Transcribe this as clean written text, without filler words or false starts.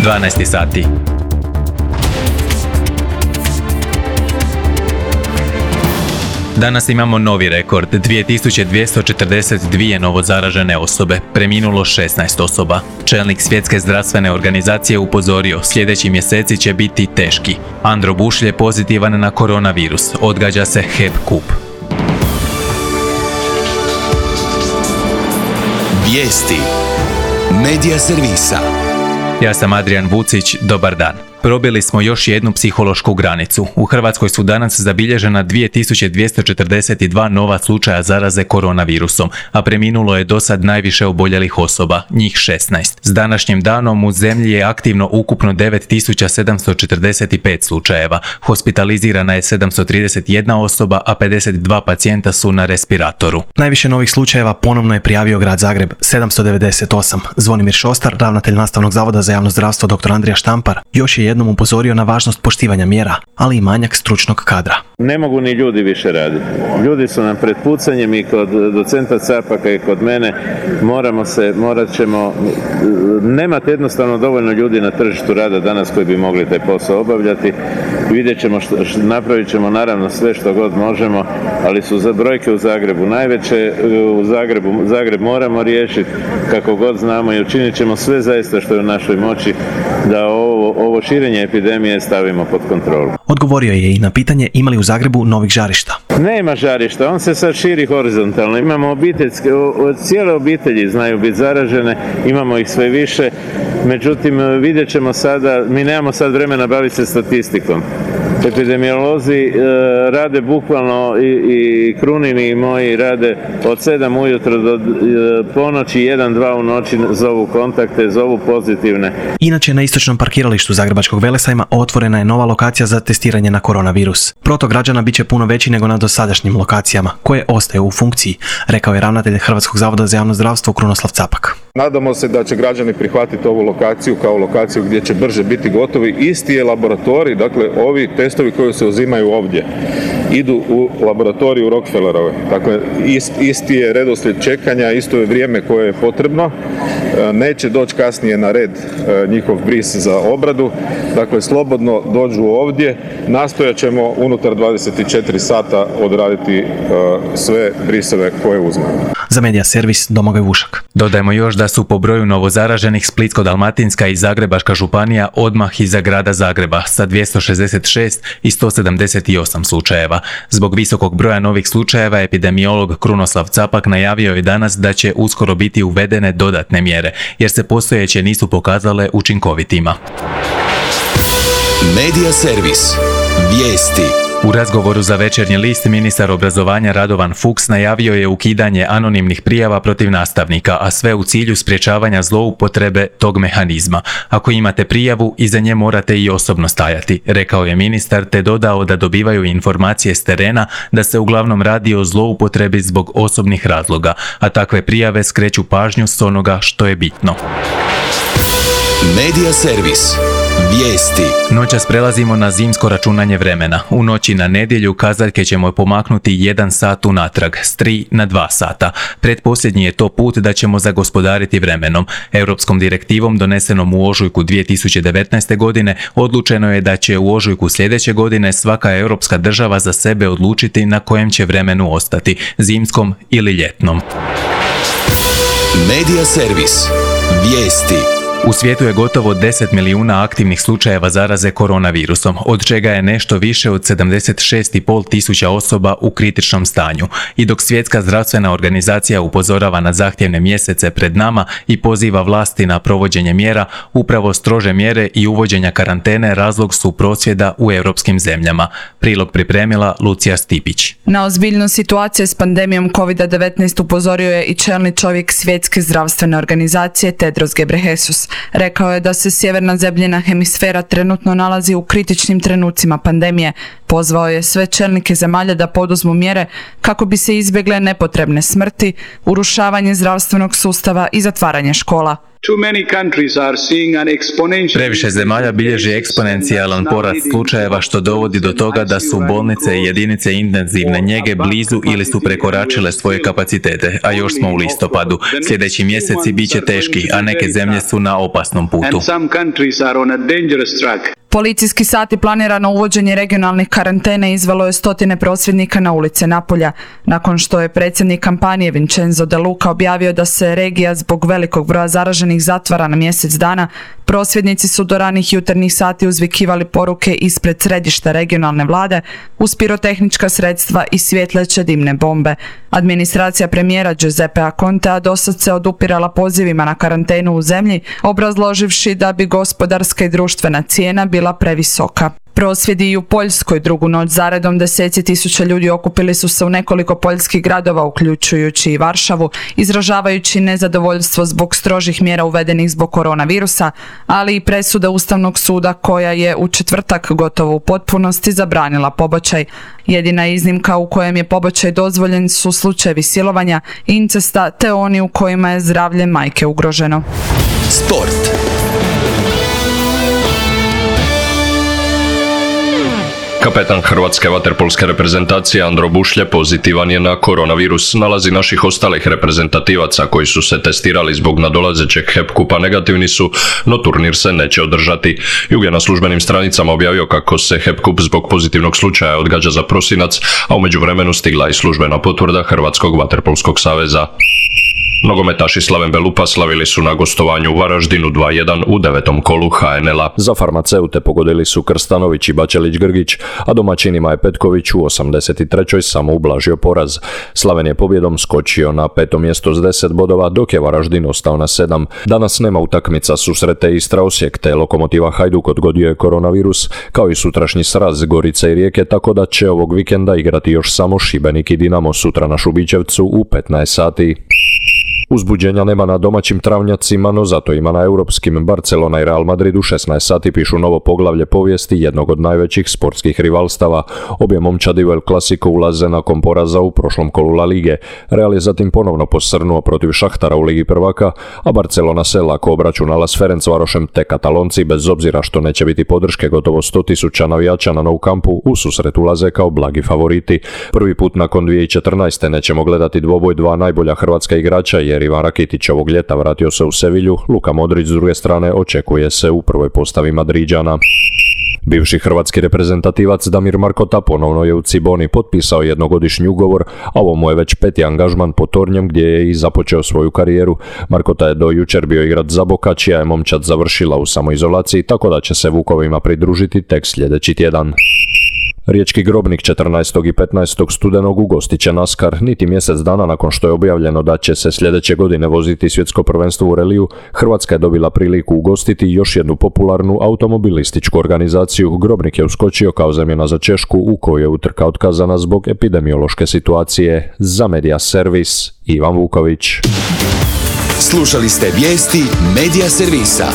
12 sati. Danas imamo novi rekord, 2242 novozaražene osobe, preminulo 16 osoba. Čelnik Svjetske zdravstvene organizacije upozorio, sljedeći mjeseci će biti teški. Andro Bušlje pozitivan na koronavirus, odgađa se HEP kup. Vijesti Medija servisa. Ja sam Adrian Vucić, dobar dan. Probili smo još jednu psihološku granicu. U Hrvatskoj su danas zabilježena 2242 nova slučaja zaraze koronavirusom, a preminulo je do sad najviše oboljelih osoba, njih 16. S današnjim danom u zemlji je aktivno ukupno 9745 slučajeva. Hospitalizirana je 731 osoba, a 52 pacijenta su na respiratoru. Najviše novih slučajeva ponovno je prijavio grad Zagreb, 798. Zvonimir Šostar, ravnatelj Nastavnog zavoda za javno zdravstvo dr. Andrija Štampar, još je jednom upozorio na važnost poštivanja mjera, ali i manjak stručnog kadra. Ne mogu ni ljudi više raditi. Ljudi su nam pred pucanjem i kod docenta Capaka i kod mene. Morat ćemo, nemate jednostavno dovoljno ljudi na tržištu rada danas koji bi mogli taj posao obavljati. Vidjet ćemo, napravit ćemo naravno sve što god možemo, ali su za brojke u Zagrebu najveće. Zagreb moramo riješiti kako god znamo i učinit ćemo sve zaista što je u našoj moći da ovo širenje epidemije stavimo pod kontrolu. Odgovorio je i na pitanje ima li u Zagrebu novih žarišta. Nema žarišta, on se sad širi horizontalno. Imamo cijele obitelji znaju biti zaražene, imamo ih sve više. Međutim, vidjet ćemo sada, mi nemamo sad vremena baviti se statistikom. Epidemiolozi rade bukvalno i Krunini i moji rade od 7 ujutro do ponoći, 1-2 u noći zovu kontakte, zovu pozitivne. Inače, na istočnom parkiralištu Zagrebačkog Velesajma otvorena je nova lokacija za testiranje na koronavirus. Protok građana bit će puno veći nego na dosadašnjim lokacijama, koje ostaju u funkciji, rekao je ravnatelj Hrvatskog zavoda za javno zdravstvo Krunoslav Capak. Nadamo se da će građani prihvatiti ovu lokaciju kao lokaciju gdje će brže biti gotovi. Isti je laboratorij, dakle ovi testovi koji se uzimaju ovdje idu u laboratoriju Rockefellerove. Dakle, isti je redoslijed čekanja, isto je vrijeme koje je potrebno. Neće doći kasnije na red njihov bris za obradu. Dakle, slobodno dođu ovdje. Nastojat ćemo unutar 24 sata odraditi sve briseve koje uzmemo. Za Medija servis Domagoj Vušak. Dodajmo još da su po broju novozaraženih Splitsko-dalmatinska i Zagrebačka županija odmah iza grada Zagreba sa 266 i 178 slučajeva. Zbog visokog broja novih slučajeva epidemiolog Krunoslav Capak najavio je danas da će uskoro biti uvedene dodatne mjere, jer se postojeće nisu pokazale učinkovitima. Medija servis. Vijesti. U razgovoru za Večernji list ministar obrazovanja Radovan Fuchs najavio je ukidanje anonimnih prijava protiv nastavnika, a sve u cilju sprječavanja zloupotrebe tog mehanizma. Ako imate prijavu, iza nje morate i osobno stajati, rekao je ministar, te dodao da dobivaju informacije s terena da se uglavnom radi o zloupotrebi zbog osobnih razloga, a takve prijave skreću pažnju s onoga što je bitno. Medija servis. Vijesti. Noćas prelazimo na zimsko računanje vremena. U noći na nedjelju kazaljke ćemo pomaknuti 1 sat unatrag, s 3 na 2 sata. Pretposljednji je to put da ćemo zagospodariti vremenom. Europskom direktivom donesenom u ožujku 2019. godine odlučeno je da će u ožujku sljedeće godine svaka europska država za sebe odlučiti na kojem će vremenu ostati, zimskom ili ljetnom. Medija servis. Vijesti. U svijetu je gotovo 10 milijuna aktivnih slučajeva zaraze koronavirusom, od čega je nešto više od 76,5 tisuća osoba u kritičnom stanju. I dok Svjetska zdravstvena organizacija upozorava na zahtjevne mjesece pred nama i poziva vlasti na provođenje mjera, upravo strože mjere i uvođenja karantene razlog su prosvjeda u europskim zemljama. Prilog pripremila Lucija Stipić. Na ozbiljnost situacije s pandemijom COVID-19 upozorio je i čelni čovjek Svjetske zdravstvene organizacije Tedros Ghebreyesus. Rekao je da se sjeverna zemljina hemisfera trenutno nalazi u kritičnim trenucima pandemije. Pozvao je sve čelnike zemalja da poduzmu mjere kako bi se izbjegle nepotrebne smrti, urušavanje zdravstvenog sustava i zatvaranje škola. Previše zemalja bilježi eksponencijalan porast slučajeva što dovodi do toga da su bolnice i jedinice intenzivne njege blizu ili su prekoračile svoje kapacitete, a još smo u listopadu. Sljedeći mjeseci bit će teški, a neke zemlje su na opasnom putu. Policijski sat i planirano uvođenje regionalnih karantena izvelo je stotine prosvjednika na ulice Napulja, nakon što je predsjednik kampanje Vincenzo De Luca objavio da se regija zbog velikog broja zaraženih zatvara na mjesec dana. Prosvjednici su do ranih jutarnjih sati uzvikivali poruke ispred središta regionalne vlade uz pirotehnička sredstva i svjetleće dimne bombe. Administracija premijera Giuseppea Contea dosad se odupirala pozivima na karantenu u zemlji, obrazloživši da bi gospodarska i društvena cijena bila previsoka. Prosvjedi i u Poljskoj drugu noć zaredom deseci tisuća ljudi okupili su se u nekoliko poljskih gradova, uključujući i Varšavu, izražavajući nezadovoljstvo zbog strožih mjera uvedenih zbog koronavirusa, ali i presuda Ustavnog suda koja je u četvrtak gotovo u potpunosti zabranila pobačaj. Jedina iznimka u kojem je pobačaj dozvoljen su slučajevi silovanja, incesta te oni u kojima je zdravlje majke ugroženo. Sport. Kapetan hrvatske vaterpolske reprezentacije Andro Bušlje pozitivan je na koronavirus. Nalazi naših ostalih reprezentativaca koji su se testirali zbog nadolazećeg HEP kupa negativni su, no turnir se neće održati. Jug je na službenim stranicama objavio kako se HEP kup zbog pozitivnog slučaja odgađa za prosinac, a u međuvremenu stigla i službena potvrda Hrvatskog vaterpolskog saveza. Nogometaši Slaven Belupa slavili su na gostovanju u Varaždinu 2:1 u 9. kolu HNL-a. Za farmaceute pogodili su Krstanović i Bačelić-Grgić, a domaćinima je Petković u 83. samo ublažio poraz. Slaven je pobjedom skočio na 5. mjesto s 10 bodova, dok je Varaždin ostao na 7. Danas nema utakmica, susrete Istra Osijek te Lokomotiva Hajduk odgodio je koronavirus, kao i sutrašnji sraz Gorice i Rijeke, tako da će ovog vikenda igrati još samo Šibenik i Dinamo sutra na Šubićevcu u 15 sati. Uzbuđenja nema na domaćim travnjacima, no zato ima na europskim. Barcelona i Real Madrid u 16 sati pišu novo poglavlje povijesti jednog od najvećih sportskih rivalstava. Obje momčadi u El Clasico ulaze nakon poraza u prošlom kolu La Lige. Real je zatim ponovno posrnuo protiv Šahtara u Ligi prvaka, a Barcelona se lako obračunala s Ferencvarošem, te Katalonci, bez obzira što neće biti podrške gotovo 100.000 navijača na Nou Campu, u susret ulaze kao blagi favoriti. Prvi put nakon 2014. nećemo gledati dvoboj dva najbolja hrvatska igrača, jer Ivan Rakitić ovog ljeta vratio se u Sevilju, Luka Modrić s druge strane očekuje se u prvoj postavi Madriđana. Bivši hrvatski reprezentativac Damir Markota ponovno je u Ciboni potpisao jednogodišnji ugovor, a ovo mu je već 5. angažman pod tornjem gdje je i započeo svoju karijeru. Markota je do jučer bio igrač Zaboka, čija je momčad završila u samoizolaciji, tako da će se Vukovima pridružiti tek sljedeći tjedan. Riječki Grobnik 14. i 15. studenog ugostit će NASCAR. Niti mjesec dana nakon što je objavljeno da će se sljedeće godine voziti svjetsko prvenstvo u reliju, Hrvatska je dobila priliku ugostiti još jednu popularnu automobilističku organizaciju. Grobnik je uskočio kao zamjena za Češku, u kojoj je utrka otkazana zbog epidemiološke situacije. Za Media Servis, Ivan Vuković. Slušali ste vijesti Media Servisa.